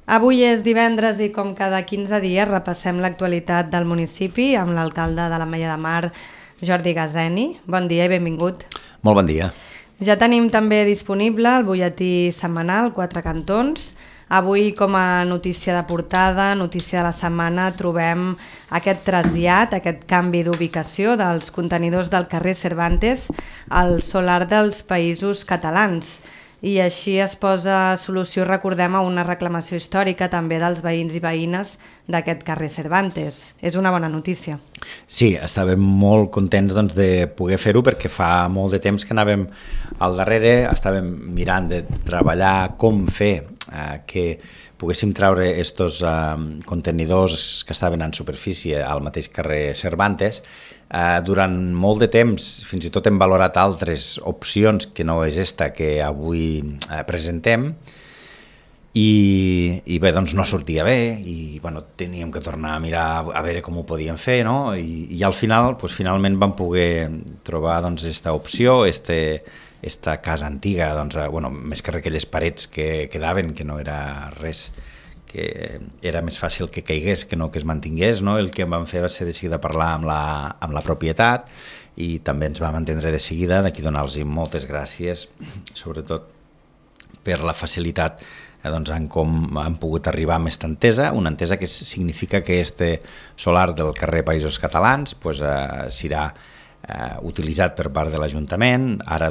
Avui és divendres i com cada 15 dies repassem l'actualitat del municipi amb l'alcalde de l'Ametlla de Mar, Jordi Gazeni. Bon dia i benvingut. Molt bon dia. Ja tenim també disponible el butlletí setmanal Quatre Cantons. Avui, com a notícia de portada, notícia de la setmana, trobem aquest trasllat, aquest canvi d'ubicació dels contenidors del carrer Cervantes al solar dels Països Catalans. I així es posa solució, recordem, a una reclamació històrica també dels veïns i veïnes d'aquest carrer Cervantes. És una bona notícia. Sí, estàvem molt contents de poder fer-ho perquè fa molt de temps que anàvem al darrere, estàvem mirant de treballar com fer que poguéssim treure aquests contenidors que estaven en superfície al mateix carrer Cervantes. Durant molt de temps, fins i tot hem valorat altres opcions que no és esta que avui presentem, i bé, doncs no sortia bé i teníem que tornar a mirar a veure com ho podíem fer, no? I al final, finalment vam poder trobar aquesta opció, esta casa antiga, més que aquelles parets que quedaven, que no era res, que era més fàcil que caigués que no que es mantingués, no? El que vam fer va ser de seguida parlar amb la propietat i també ens vam entendre de seguida, d'aquí donar-los moltes gràcies, sobretot per la facilitat en com han pogut arribar amb aquesta entesa, una entesa que significa que este solar del carrer Països Catalans serà utilitzat per part de l'Ajuntament. Ara,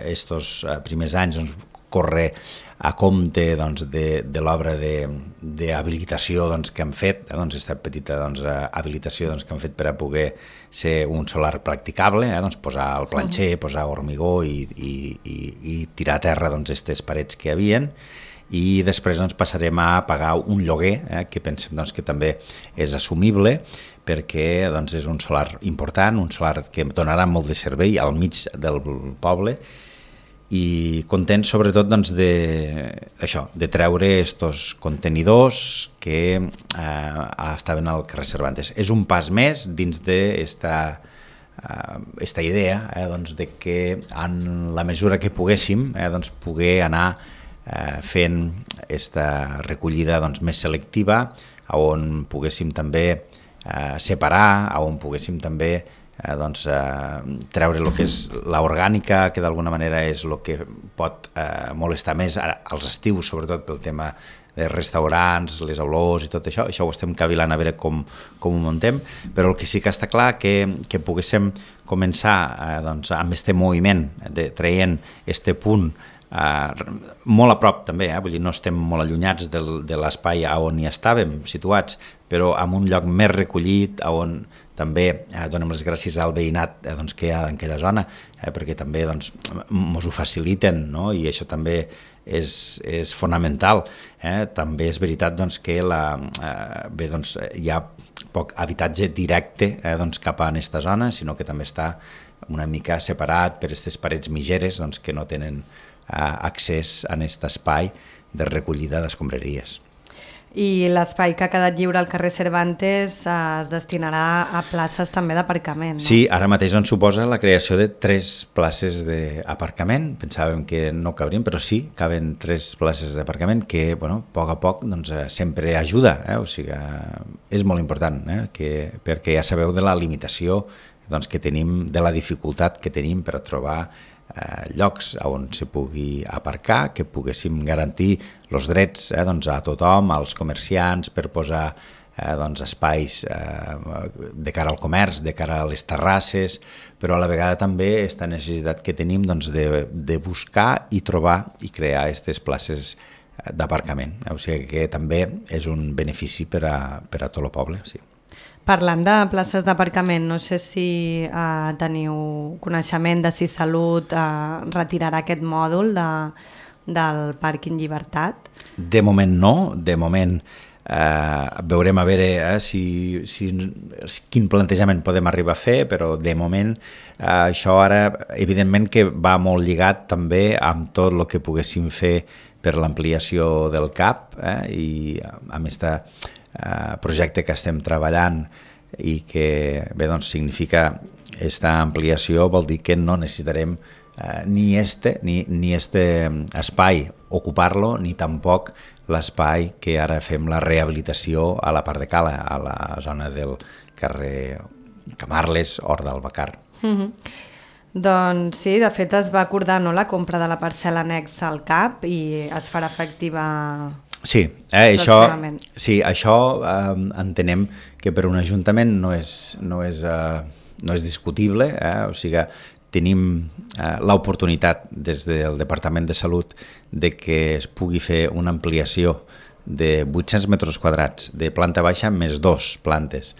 estos primers anys corre a compte de l'obra d'habilitació que han fet, aquesta petita habilitació que han fet per a poder ser un solar practicable, posar el planxer, posar hormigó i tirar a terra aquestes parets que hi havien, i després passarem a pagar un lloguer que pensem que també és assumible perquè és un solar important, un solar que donarà molt de servei al mig del poble, i content sobretot de treure aquests contenidors que estaven al carrer Cervantes. És un pas més dins d'esta idea de que en la mesura que poguéssim poder anar fent aquesta recollida més selectiva, on poguéssim també separar, on poguéssim també treure el que és l'orgànica, que d'alguna manera és el que pot molestar més als estius, sobretot pel tema de restaurants, les olors i tot això. Això ho estem cavilant a veure com ho muntem, però el que sí que està clar que poguéssim començar amb aquest moviment traient aquest punt molt a prop també, vull dir, no estem molt allunyats de l'espai on hi estàvem situats, però en un lloc més recollit, on també donem les gràcies al veïnat que hi ha en aquella zona, perquè també ens ho faciliten, no? I això també és fonamental. També és veritat que hi ha poc habitatge directe cap a aquesta zona, sinó que també està una mica separat per aquestes parets mitgeres que no tenen accés a aquest espai de recollida d'escombraries. I l'espai que ha quedat lliure al carrer Cervantes es destinarà a places també d'aparcament, no? Sí, ara mateix suposa la creació de 3 places d'aparcament. Pensàvem que no cabrien, però sí, caben 3 places d'aparcament que, a poc a poc, sempre ajuda. O sigui, és molt important, perquè ja sabeu de la limitació que tenim, de la dificultat que tenim per a trobar llocs on se pugui aparcar, que poguéssim garantir els drets a tothom, als comerciants, per posar espais de cara al comerç, de cara a les terrasses, però a la vegada també aquesta necessitat que tenim de buscar i trobar i crear aquestes places d'aparcament. O sigui que també és un benefici per a tot el poble, sí. Parlant de places d'aparcament, no sé si teniu coneixement de si Salut retirarà aquest mòdul del pàrquing Llibertat. De moment no, de moment veurem a veure quin plantejament podem arribar a fer, però de moment això ara evidentment que va molt lligat també amb tot el que poguéssim fer per l'ampliació del CAP i amb aquest projecte que estem treballant i que significa aquesta ampliació, vol dir que no necessitarem ni este espai ocupar-lo, ni tampoc l'espai que ara fem la rehabilitació a la part de Cala, a la zona del carrer Camarles, Hort del Bacar. Doncs sí, de fet es va acordar la compra de la parcel·la anexa al CAP i es farà efectiva això entenem que per un ajuntament no és discutible, o sigui, tenim l'oportunitat des del Departament de Salut de que es pugui fer una ampliació de 800 metres quadrats de planta baixa més 2 plantes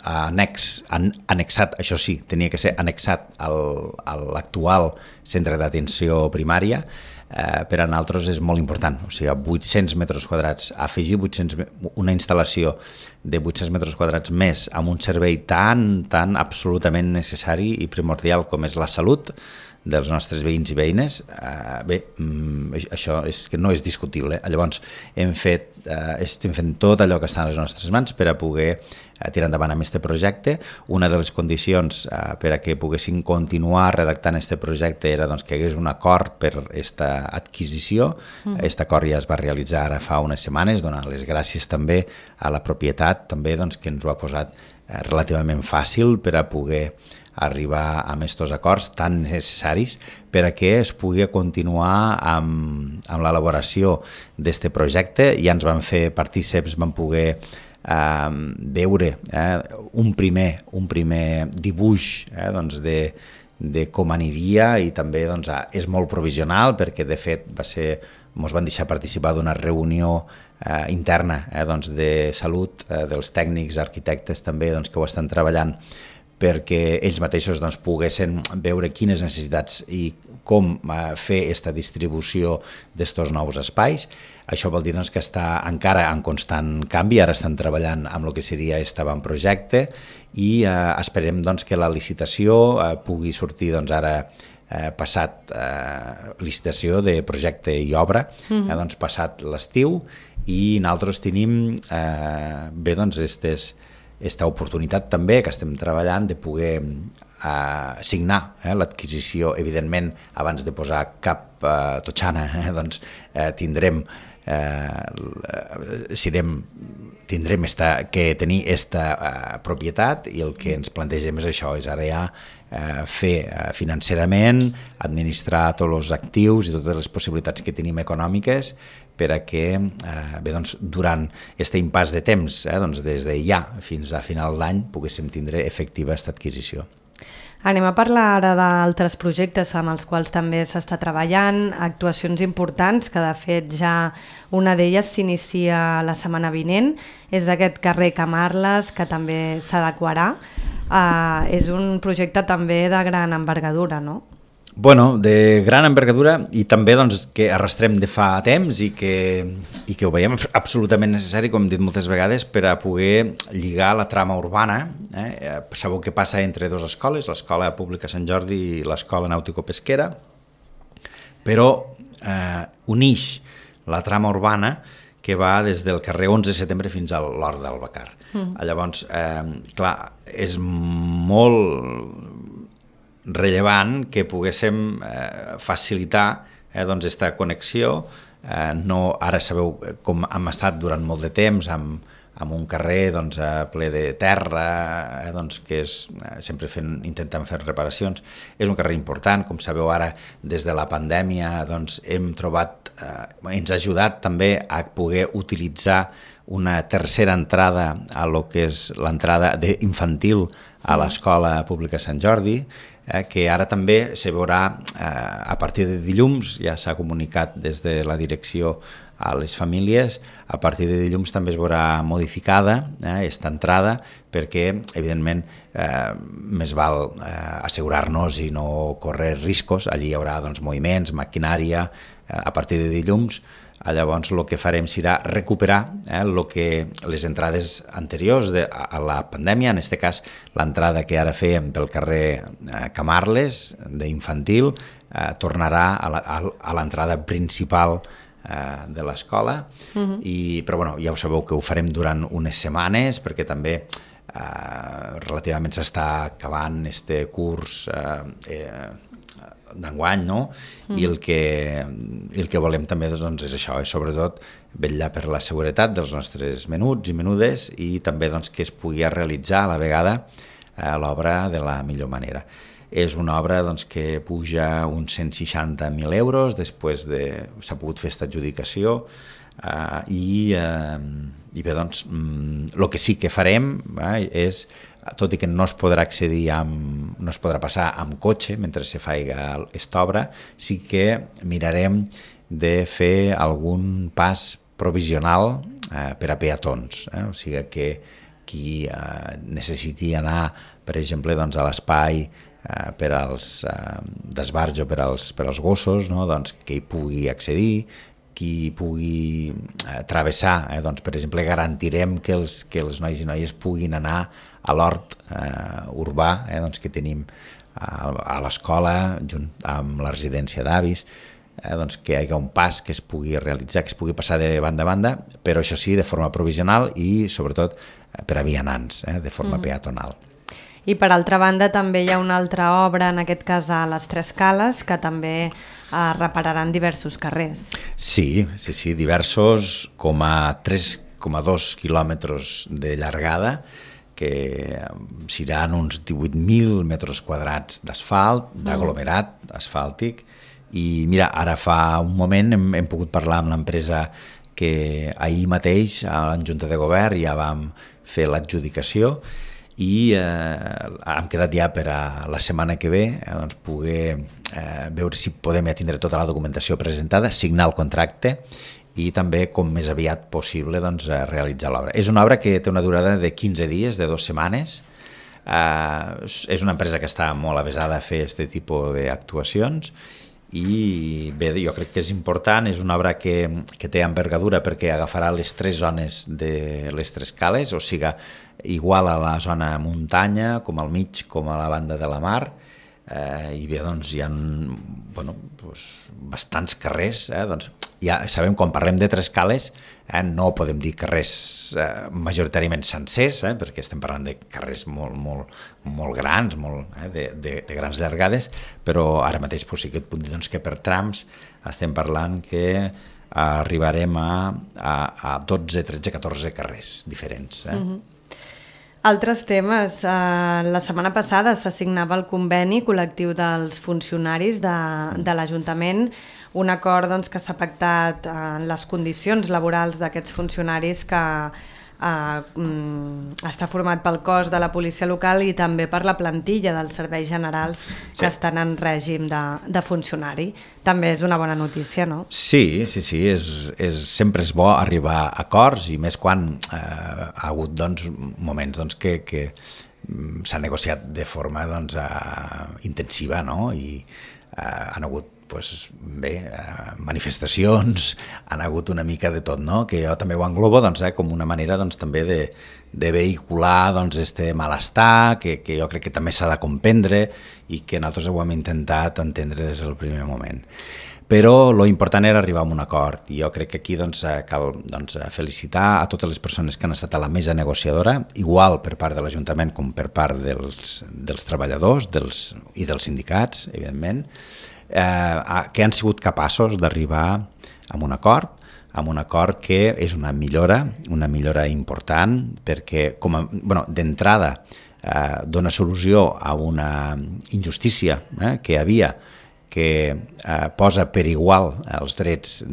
annexat, això sí, tenia que ser annexat a l'actual centre d'atenció primària. Per a nosaltres és molt important, o sigui, 800 metres quadrats, afegir una instal·lació de 800 metres quadrats més amb un servei tan absolutament necessari i primordial com és la salut dels nostres veïns i veïnes, això és que no és discutible. Llavors estem fent tot allò que està a les nostres mans per a poder tirar endavant amb aquest projecte. Una de les condicions per a que poguessin continuar redactant aquest projecte era que hi hagués un acord per aquesta adquisició. Aquest acord ja es va realitzar ara fa unes setmanes, donant les gràcies també a la propietat també, que ens ho ha posat relativament fàcil per a poder arribar a aquests acords tan necessaris per a que es pugui continuar amb l'elaboració d'aquest projecte. Ja ens van fer partíceps, vam poder veure un primer dibuix de com aniria i també és molt provisional perquè de fet ens van deixar participar d'una reunió interna de salut dels tècnics, arquitectes també que ho estan treballant perquè ells mateixos poguessin veure quines necessitats i com fer aquesta distribució d'aquests nous espais. Això vol dir que està encara en constant canvi, ara estan treballant amb el que seria aquest avantprojecte i esperem que la licitació pugui sortir ara passat licitació de projecte i obra, passat l'estiu, i nosaltres tenim aquesta oportunitat també que estem treballant de poder signar l'adquisició, evidentment, abans de posar cap totxana, tindrem que tenir aquesta propietat i el que ens plantegem és això, és ara ja fer financerament, administrar tots els actius i totes les possibilitats que tenim econòmiques per a que durant aquest impàs de temps, des de ja fins a final d'any, poguéssim tindre efectiva aquesta adquisició. Anem a parlar ara d'altres projectes amb els quals també s'està treballant, actuacions importants, que de fet ja una d'elles s'inicia la setmana vinent, és d'aquest carrer Camarles, que també s'adequarà. És un projecte també de gran envergadura, no? Bueno, de gran envergadura i també que arrastrem de fa temps i que ho veiem absolutament necessari, com hem dit moltes vegades, per a poder lligar la trama urbana. Sabeu que passa entre dues escoles, l'Escola Pública Sant Jordi i l'Escola Nàutico-Pesquera, però uneix la trama urbana que va des del carrer 11 de setembre fins a l'Hort del Bacar. Llavors, clar, és molt rellevant que poguéssim facilitar aquesta connexió. Ara sabeu com hem estat durant molt de temps amb un carrer ple de terra, que sempre intentant fer reparacions. És un carrer important, com sabeu ara des de la pandèmia hem trobat, ens ha ajudat també a poder utilitzar una tercera entrada a lo que és l'entrada infantil a l'Escola Pública Sant Jordi, que ara també se veurà a partir de dilluns, ja s'ha comunicat des de la direcció a les famílies, a partir de dilluns també es veurà modificada aquesta entrada perquè, evidentment, més val assegurar-nos i no córrer riscos. Allí hi haurà moviments, maquinària, a partir de dilluns. Llavors el que farem serà recuperar les entrades anteriors a la pandèmia, en aquest cas l'entrada que ara fèiem pel carrer Camarles d'infantil tornarà a l'entrada principal de l'escola, però ja ho sabeu que ho farem durant unes setmanes perquè també relativament s'està acabant este curs d'enguany, no? I el que volem també doncs, és això, és sobretot vetllar per la seguretat dels nostres menuts i menudes i també doncs, que es pugui realitzar a la vegada l'obra de la millor manera. És una obra doncs, que puja uns 160.000 euros, després s'ha pogut fer aquesta adjudicació i bé, doncs, el que sí que farem és, tot i que no es podrà accedir no es podrà passar amb cotxe mentre se faiga aquesta obra, sí que mirarem de fer algun pas provisional per a peatons, o sigui que qui necessiti anar, per exemple, doncs, a l'espai per als d'esbarjo per als gossos, no? Doncs, que hi pugui accedir, qui pugui travessar, doncs, per exemple, garantirem que els nois i noies puguin anar a l'hort urbà doncs, que tenim a l'escola, junt amb la residència d'avis, doncs, que hi hagi un pas que es pugui realitzar, que es pugui passar de banda a banda, però això sí, de forma provisional i sobretot per a vianants, de forma peatonal. I per altra banda també hi ha una altra obra, en aquest cas a les Tres Cales, que també repararan diversos carrers. Sí, diversos, com a 3,2 quilòmetres de llargada, que seran uns 18.000 metres quadrats d'asfalt, d'aglomerat asfàltic, i mira, ara fa un moment hem pogut parlar amb l'empresa que ahir mateix a la Junta de Govern ja vam fer l'adjudicació i hem quedat ja per a la setmana que ve doncs, poder veure si podem ja tindre tota la documentació presentada, signar el contracte i també, com més aviat possible, doncs, realitzar l'obra. És una obra que té una durada de 15 dies, de 2 setmanes. És una empresa que està molt avesada a fer aquest tipus d'actuacions i bé, jo crec que és important, és una obra que té envergadura perquè agafarà les 3 zones de les Tres Cales, o sigui, igual a la zona muntanya, com al mig, com a la banda de la mar, i bé, doncs hi ha bastants carrers, doncs ja sabem, quan parlem de Tres Cales no podem dir carrers majoritàriament sencers, perquè estem parlant de carrers molt grans, de grans llargades, però ara mateix sí que et puc dir que per trams estem parlant que arribarem a 12, 13, 14 carrers diferents. Altres temes. La setmana passada s'assignava el conveni col·lectiu dels funcionaris de l'Ajuntament, un acord doncs, que s'ha pactat en les condicions laborals d'aquests funcionaris que està format pel cos de la policia local i també per la plantilla dels serveis generals que estan en règim de funcionari. També és una bona notícia, no? Sí, sempre és bo arribar a acords i més quan ha hagut moments que s'ha negociat de forma intensiva, no? I han hagut manifestacions, han hagut una mica de tot, no? Que jo també ho englobo com una manera també de vehicular este malestar, que jo crec que també s'ha de comprendre i que nosaltres ho hem intentat entendre des del primer moment. Però l'important era arribar a un acord i jo crec que aquí cal felicitar a totes les persones que han estat a la mesa negociadora, igual per part de l'Ajuntament com per part dels treballadors i dels sindicats, evidentment, que han sigut capaços d'arribar a un acord que és una millora important perquè d'entrada dona solució a una injustícia que hi havia, que posa per igual els drets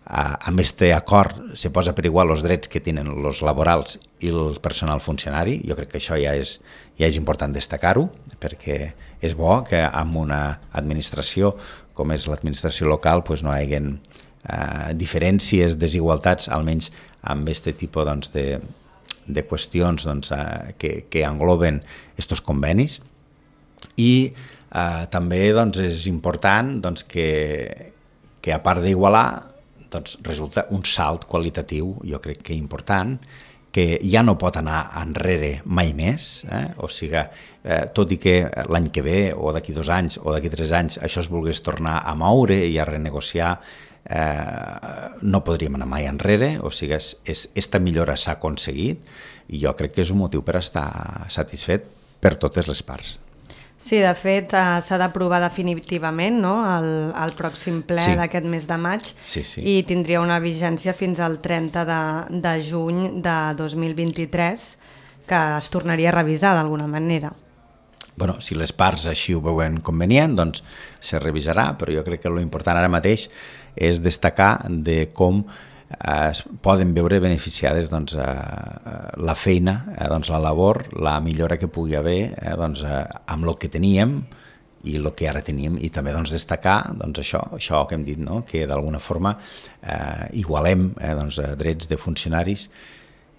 amb aquest acord se posa per igual els drets que tenen els laborals i el personal funcionari. Jo crec que això ja és important destacar-ho, perquè és bo que amb una administració com és l'administració local no hi hagi diferències, desigualtats, almenys amb aquest tipus de qüestions que engloben aquests convenis. I també és important que a part d'igualar resulta un salt qualitatiu, jo crec que important, que ja no pot anar enrere mai més, o sigui, tot i que l'any que ve o d'aquí 2 anys o d'aquí 3 anys això es volgués tornar a moure i a renegociar, no podríem anar mai enrere, o sigui, aquesta millora s'ha aconseguit i jo crec que és un motiu per estar satisfet per totes les parts. Sí, de fet, s'ha d'aprovar definitivament, no?, el pròxim ple d'aquest mes de maig, i tindria una vigència fins al 30 de juny de 2023, que es tornaria a revisar d'alguna manera. Bueno, si les parts així ho veuen convenient, doncs se revisarà, però jo crec que l'important ara mateix és destacar de com es poden veure beneficiades doncs, la feina, doncs, la labor, la millora que pugui haver doncs, amb el que teníem i el que ara tenim, i també doncs, destacar doncs, això que hem dit, no? Que d'alguna forma igualem doncs, drets de funcionaris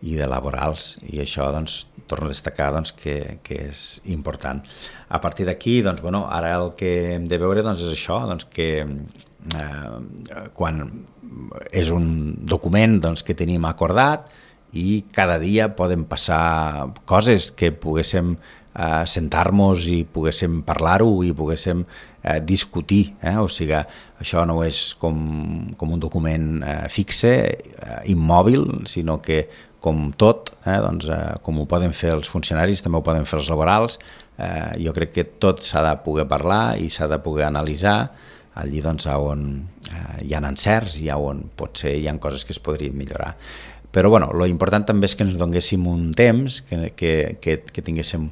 i de laborals, i això doncs, torno a destacar doncs, que és important. A partir d'aquí, doncs, bueno, ara el que hem de veure doncs, és això, doncs, que quan és un document doncs, que tenim acordat, i cada dia poden passar coses que poguéssim sentar-nos i poguéssim parlar-ho i poguéssim discutir, o sigui, això no és com un document fixe, immòbil, sinó que com tot, doncs, com ho poden fer els funcionaris, també ho poden fer els laborals. Jo crec que tot s'ha de poder parlar i s'ha de poder analitzar allí doncs, on hi ha encerts i on potser hi ha coses que es podrien millorar. Però bueno, l'important també és que ens donéssim un temps, que tinguéssim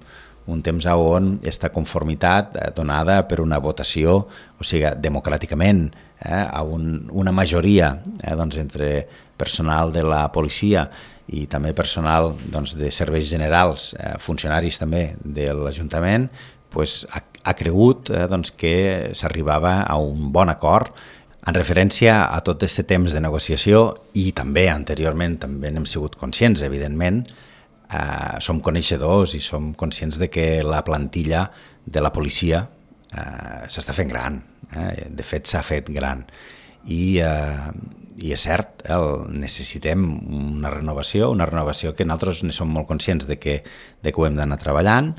un temps on aquesta conformitat donada per una votació, o sigui, democràticament, a una majoria doncs, entre personal de la policia i també personal doncs, de serveis generals, funcionaris també de l'Ajuntament, pues, ha cregut doncs, que s'arribava a un bon acord en referència a tot aquest temps de negociació, i també anteriorment també n'hem sigut conscients, evidentment, som coneixedors i som conscients de que la plantilla de la policia s'està fent gran, de fet s'ha fet gran, i és cert, necessitem una renovació que nosaltres ne som molt conscients de que ho hem d'anar treballant,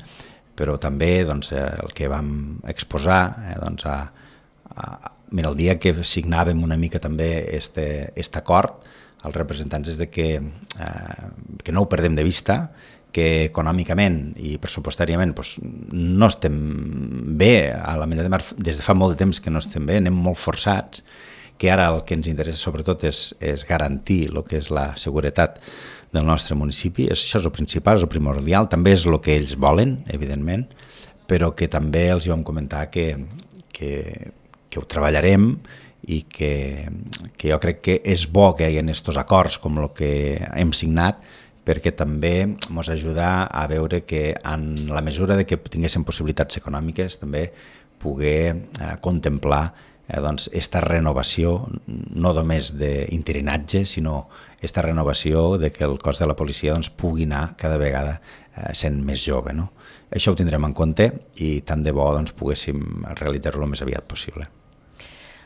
però també doncs, el que vam exposar doncs, mira, el dia que signàvem una mica també aquest acord, els representants és de que no ho perdem de vista, que econòmicament i pressupostàriament doncs, no estem bé, a la Mella de Mar des de fa molt de temps que no estem bé, anem molt forçats, que ara el que ens interessa sobretot és garantir el que és la seguretat del nostre municipi. Això és el principal, és el primordial, també és el que ells volen, evidentment, però que també els vam comentar que ho treballarem, i que jo crec que és bo que hi hagi aquests acords com el que hem signat, perquè també ens ajuda a veure que en la mesura de que tinguéssim possibilitats econòmiques també poder contemplar doncs, esta renovació, no només d'interinatge, sinó esta renovació de que el cos de la policia doncs, pugui anar cada vegada sent més jove. No? Això ho tindrem en compte, i tant de bo doncs, poguéssim realitzar-lo el més aviat possible.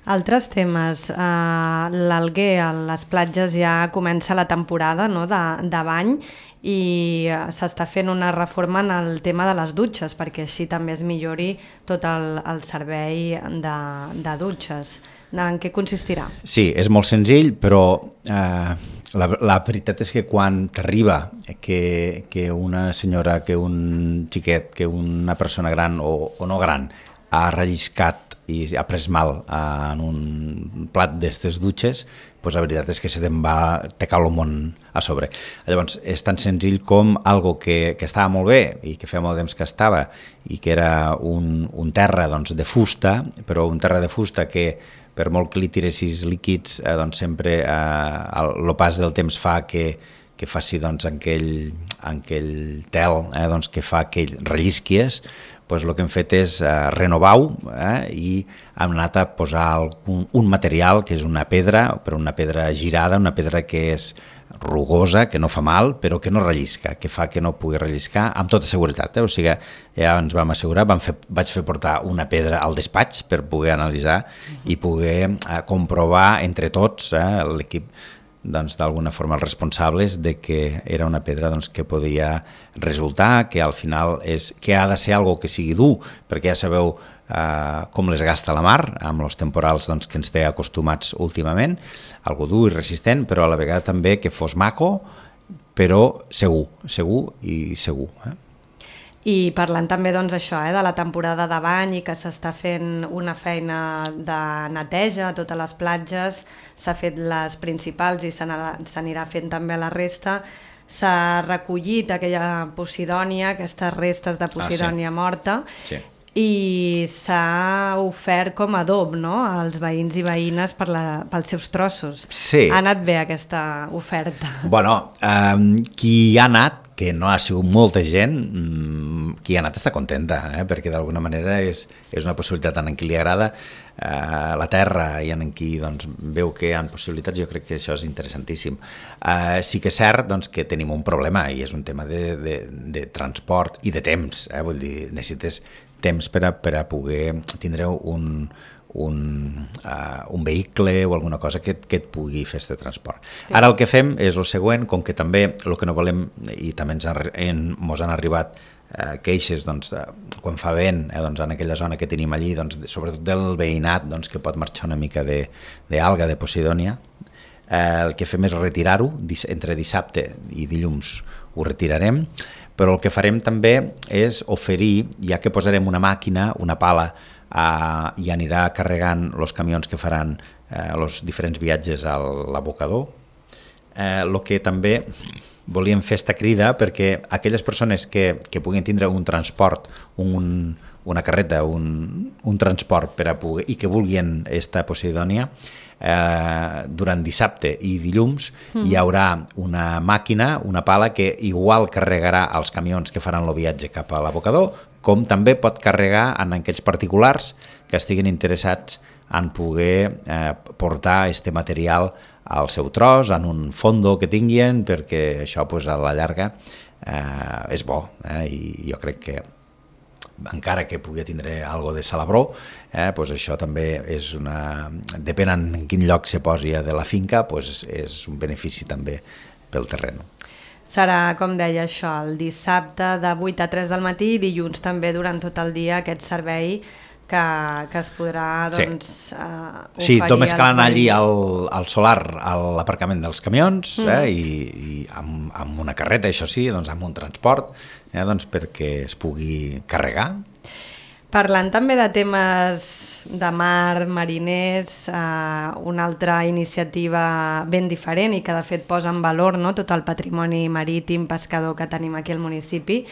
Altres temes. L'Alguer, a les platges ja comença la temporada, no?, de bany, i s'està fent una reforma en el tema de les dutxes, perquè així també es millori tot el servei de dutxes. En què consistirà? Sí, és molt senzill, però la veritat és que quan t'arriba que una senyora, que un xiquet, que una persona gran o no gran ha relliscat i ha pres mal en un plat d'aquestes dutxes, doncs la veritat és que te cau el món a sobre. Llavors, és tan senzill com algo que estava molt bé i que feia molt temps que estava, i que era un terra doncs, de fusta, però un terra de fusta que per molt que li tiressis líquids, doncs sempre el pas del temps fa que faci doncs, aquell tel doncs, que fa que rellisquies. Doncs el que hem fet és renovar-ho, i hem anat a posar un material que és una pedra, però una pedra girada, una pedra que és rugosa, que no fa mal, però que no rellisca, que fa que no pugui relliscar amb tota seguretat. O sigui, ja ens vam assegurar, vaig fer portar una pedra al despatx per poder analitzar i poder comprovar entre tots, l'equip, doncs, d'alguna forma els responsables, de que era una pedra doncs, que podia resultar, que al final que ha de ser algo que sigui dur, perquè ja sabeu com les gasta la mar, amb els temporals doncs, que ens té acostumats últimament, algo dur i resistent, però a la vegada també que fos maco, però segur i segur. I parlant també doncs, això, de la temporada de bany i que s'està fent una feina de neteja a totes les platges, s'ha fet les principals i s'anirà fent també la resta, s'ha recollit aquella posidònia, aquestes restes de posidònia morta, i s'ha ofert com a adob, no?, als veïns i veïnes pels seus trossos. Sí. Ha anat bé aquesta oferta. Bueno, qui ha anat, que no ha sigut molta gent, qui ha anat està contenta, perquè d'alguna manera és una possibilitat tant en qui li agrada la terra i en qui doncs, veu que hi ha possibilitats. Jo crec que això és interessantíssim. Sí que és cert doncs, que tenim un problema i és un tema de transport i de temps, vull dir, necessites temps per a poder tindre un vehicle o alguna cosa que et pugui fer aquest transport. Ara el que fem és el següent, com que també el que no volem, i també ens han arribat queixes doncs, quan fa vent doncs, en aquella zona que tenim allí, doncs, sobretot del veïnat doncs, que pot marxar una mica d'alga, de posidònia, el que fem és retirar-ho, entre dissabte i dilluns ho retirarem, però el que farem també és oferir, ja que posarem una màquina, una pala, i anirà carregant els camions que faran els diferents viatges a l'abocador. El que també volíem fer esta crida perquè aquelles persones que puguin tindre un transport, una carreta, un transport per a poder, i que vulguin esta posidònia, durant dissabte i dilluns hi haurà una màquina, una pala que igual carregarà els camions que faran el viatge cap a l'abocador, com també pot carregar en aquells particulars que estiguin interessats en poder portar este material al seu tros, en un fondo que tinguin, perquè això pues, a la llarga és bo, i jo crec que encara que pugui tindre algo de salabró, pues això també és depèn en quin lloc se posi de la finca, pues és un benefici també pel terreny. Serà, com deia això, el dissabte de 8 a 3 del matí i dilluns també durant tot el dia aquest servei que es podrà doncs, oferir. Sí, només cal anar allí al solar, a l'aparcament dels camions, i amb una carreta, això sí, doncs amb un transport, doncs perquè es pugui carregar. Parlant també de temes de mar, mariners, una altra iniciativa ben diferent i que de fet posa en valor, no?, tot el patrimoni marítim, pescador que tenim aquí al municipi.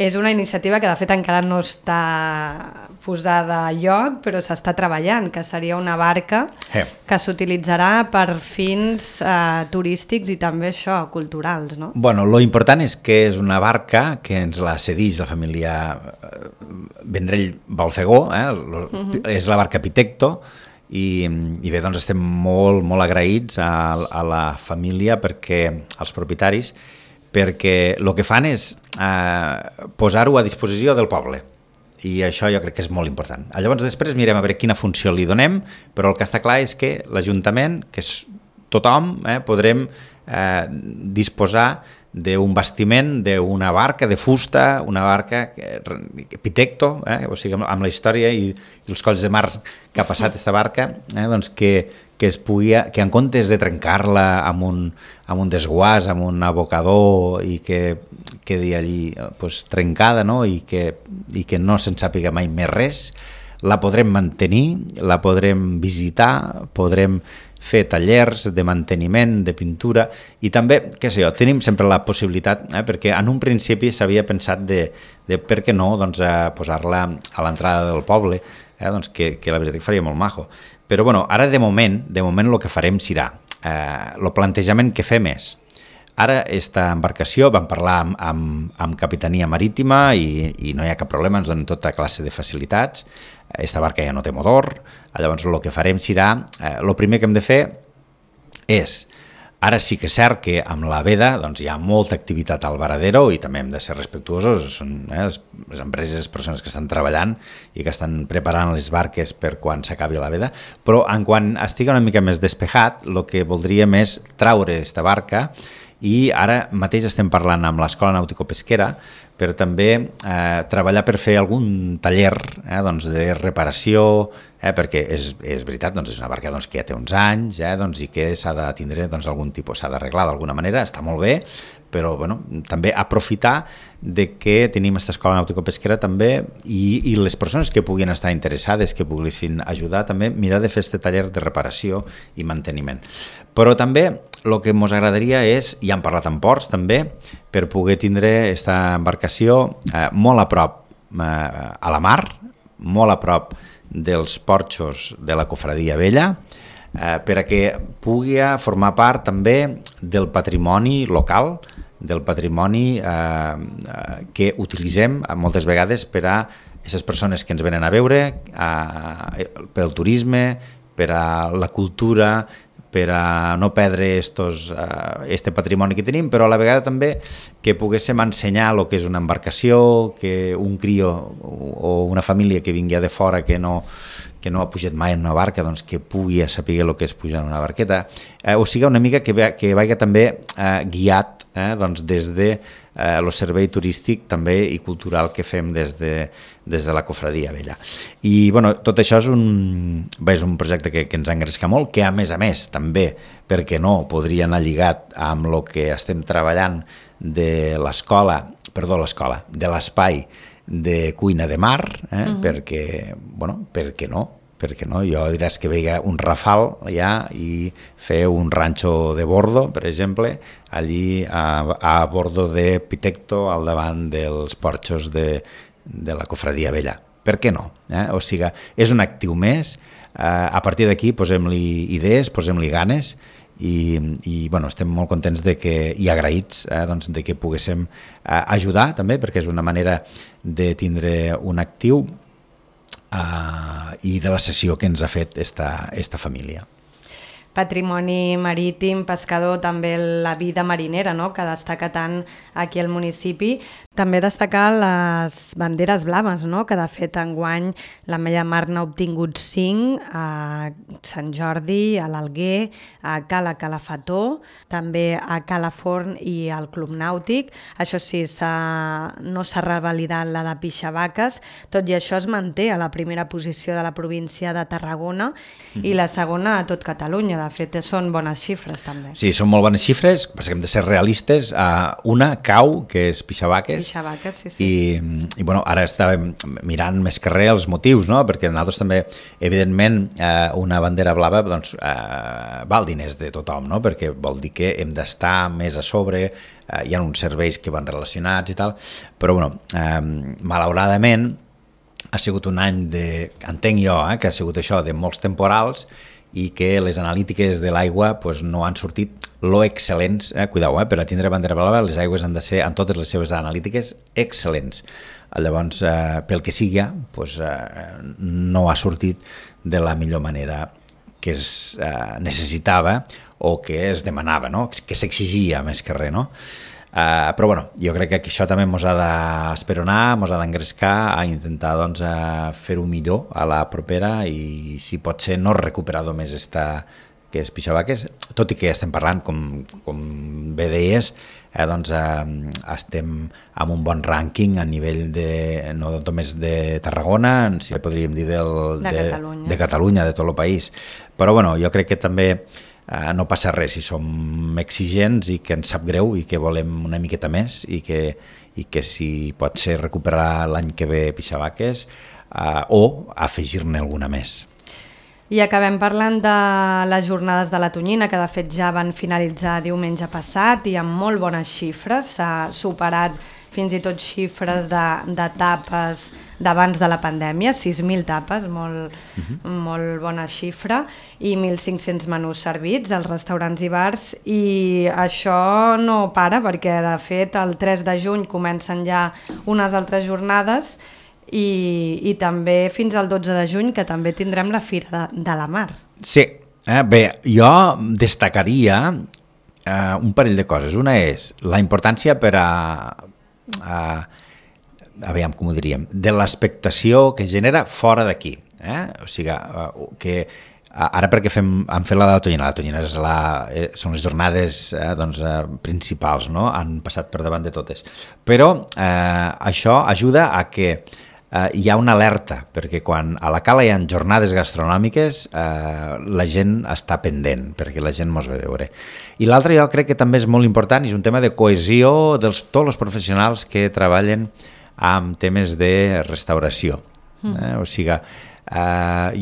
És una iniciativa que de fet encara no està posada a lloc, però s'està treballant, que seria una barca que s'utilitzarà per fins turístics i també això, culturals, no? Bueno, lo important és que és una barca que ens la cedeix la família Vendrell Balfegó, és la barca Pitecto, i bé, doncs estem molt, molt agraïts a la família, perquè als propietaris, perquè el que fan és posar-ho a disposició del poble, i això jo crec que és molt important. Llavors després mirem a veure quina funció li donem, però el que està clar és que l'Ajuntament, que és tothom, podrem disposar d'un bastiment, d'una barca de fusta, una barca Pitecto, o sigui, amb la història i els colls de mar que ha passat aquesta barca, doncs que en comptes de trencar-la amb un desguàs, amb un abocador i que quedi allí pues, trencada, no? I que no se'n sàpiga mai més res, la podrem mantenir, la podrem visitar, podrem fer tallers de manteniment, de pintura, i també, què sé jo, tenim sempre la possibilitat, perquè en un principi s'havia pensat de per què no doncs, posar-la a l'entrada del poble, doncs que la veritat que faria molt maco. Però bueno, ara de moment el que farem serà, el plantejament que fem és, ara aquesta embarcació vam parlar amb Capitania Marítima i no hi ha cap problema, ens donen tota classe de facilitats. Esta barca ja no té motor, llavors el que farem serà, el primer que hem de fer és, ara sí que és cert que amb la veda doncs, hi ha molta activitat al varadero i també hem de ser respectuosos, són les empreses, les persones que estan treballant i que estan preparant les barques per quan s'acabi la veda, però en quan estigui una mica més despejat, el que voldríem és traure aquesta barca, i ara mateix estem parlant amb l'Escola Nàutico-Pesquera per també treballar per fer algun taller doncs de reparació, perquè és veritat, doncs és una barca que ja té uns anys i que s'ha de tindre algun tipus, s'ha d'arreglar d'alguna manera, està molt bé, però també aprofitar de que tenim aquesta escola nàutico-pesquera també i les persones que puguin estar interessades, que poguessin ajudar, també mirar de fer aquest taller de reparació i manteniment. Però també el que ens agradaria és, i hem parlat amb ports també, per poder tindre aquesta embarcació molt a prop a la mar, molt a prop dels porxos de la Cofradia Vella, per a que pugui formar part també del patrimoni local, del patrimoni que utilitzem moltes vegades per a aquestes persones que ens venen a veure, pel turisme, per a la cultura, per a no perdre este patrimoni que tenim, però a la vegada també que poguéssim ensenyar el que és una embarcació, que un crió o una família que vingui de fora que no ha pujat mai en una barca, doncs que pugui saber el que és pujar en una barqueta. O sigui, una mica que vagi també guiat des de el servei turístic també i cultural que fem des de la Cofradia Vella. I tot això és un projecte que ens engresca molt, que a més també, perquè no, podria anar lligat amb el que estem treballant de l'espai de cuina de mar, perquè no? Perquè no? Jo diràs que veia un rafal ja i fer un ranxo de bordo, per exemple, allí a bordo de Pitecto, al davant dels porxos de la Cofradia Vella. Per què no? O sigui, és un actiu més, a partir d'aquí posem-li idees, posem-li ganes i estem molt contents i agraïts de que poguéssim ajudar també, perquè és una manera de tindre un actiu i de la cessió que ens ha fet esta família. Patrimoni marítim, pescador, també la vida marinera, no?, que destaca tant aquí al municipi. També destacar les banderes blaves, no?, que de fet enguany l'Ametlla Mar n'ha obtingut 5 a Sant Jordi, a l'Alguer, a Cala Calafató, també a Calaforn i al Club Nàutic. Això sí, no s'ha revalidat la de Pixavaques, tot i això es manté a la primera posició de la província de Tarragona i la segona a tot Catalunya. De fet, són bones xifres també. Sí, són molt bones xifres, però hem de ser realistes. Una cau, que és Pixavaques, sí. I ara estàvem mirant més que res els motius, no? Perquè nosaltres també, evidentment, una bandera blava val diners de tothom, no? Perquè vol dir que hem d'estar més a sobre, hi ha uns serveis que van relacionats i tal, però malauradament ha sigut un any entenc jo, que ha sigut això de molts temporals i que les analítiques de l'aigua no han sortit lo excel·lents, cuidao, per a tindre bandera blava les aigües han de ser, en totes les seves analítiques, excel·lents. Llavors, pel que sigui, no ha sortit de la millor manera que es necessitava o que es demanava, no? Que s'exigia més que res, no? Però jo crec que això també ens ha d'esperonar, ens ha d'engrescar a intentar fer-ho millor a la propera i si pot ser no recuperar només que és Pixavaques, tot i que estem parlant, com bé deies, estem amb un bon rànquing a nivell no només de Tarragona, si podríem dir de Catalunya, de tot el país. Però jo crec que també no passa res si som exigents i que ens sap greu i que volem una miqueta més i que si pot ser recuperar l'any que ve Pixavaques o afegir-ne alguna més. I acabem parlant de les jornades de la Tonyina, que de fet ja van finalitzar diumenge passat i amb molt bones xifres. S'ha superat fins i tot xifres de tapes d'abans de la pandèmia, 6.000 tapes, molt bona xifra, i 1.500 menús servits als restaurants i bars, i això no para perquè de fet el 3 de juny comencen ja unes altres jornades i també fins al 12 de juny, que també tindrem la Fira de la Mar. Sí, bé, jo destacaria un parell de coses. Una és la importància per aviam, com ho diríem, de l'expectació que genera fora d'aquí. O sigui, que ara perquè hem fet la Tonyina. La Tonyina són les jornades principals, no? Han passat per davant de totes. Però això ajuda a que hi ha una alerta, perquè quan a la Cala hi ha jornades gastronòmiques la gent està pendent, perquè la gent mos ve a veure. I l'altre jo crec que també és molt important, és un tema de cohesió de tots els professionals que treballen amb temes de restauració. O sigui,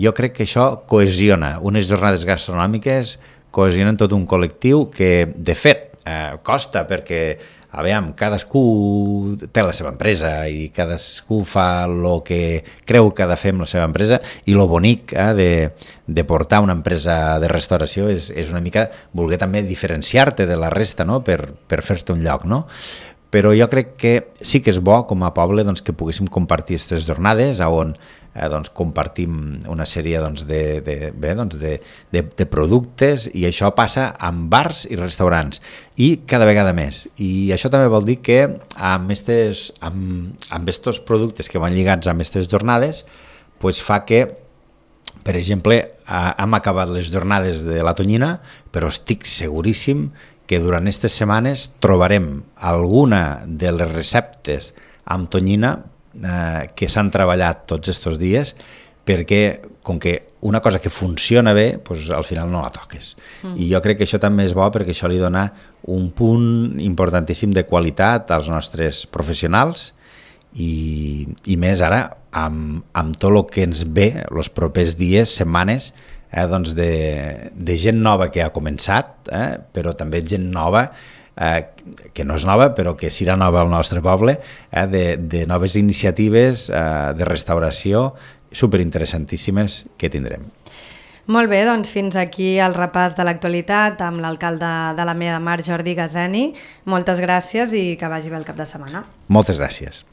jo crec que això cohesiona. Unes jornades gastronòmiques cohesionen tot un col·lectiu que, de fet, costa perquè cadascú té la seva empresa i cadascú fa el que creu que ha de fer amb la seva empresa, i lo bonic de portar una empresa de restauració és una mica voler també diferenciar-te de la resta, no? per fer-te un lloc, no? Però jo crec que sí que és bo com a poble que poguéssim compartir aquestes jornades on compartim una sèrie de productes, i això passa amb bars i restaurants i cada vegada més. I això també vol dir que amb estos productes que van lligats amb aquestes jornades fa que, per exemple, hem acabat les jornades de la Tonyina, però estic seguríssim que durant aquestes setmanes trobarem alguna de les receptes amb tonyina que s'han treballat tots aquests dies, perquè com que una cosa que funciona bé, al final no la toques. I jo crec que això també és bo, perquè això li dona un punt importantíssim de qualitat als nostres professionals, i més ara amb tot el que ens ve els propers dies, setmanes, de gent nova que ha començat, però també gent nova que no és nova, però que serà nova al nostre poble, de noves iniciatives de restauració superinteressantíssimes que tindrem. Molt bé, doncs fins aquí el repàs de l'actualitat amb l'alcalde de l'Ametlla de Mar, Jordi Gazeni. Moltes gràcies i que vagi bé el cap de setmana. Moltes gràcies.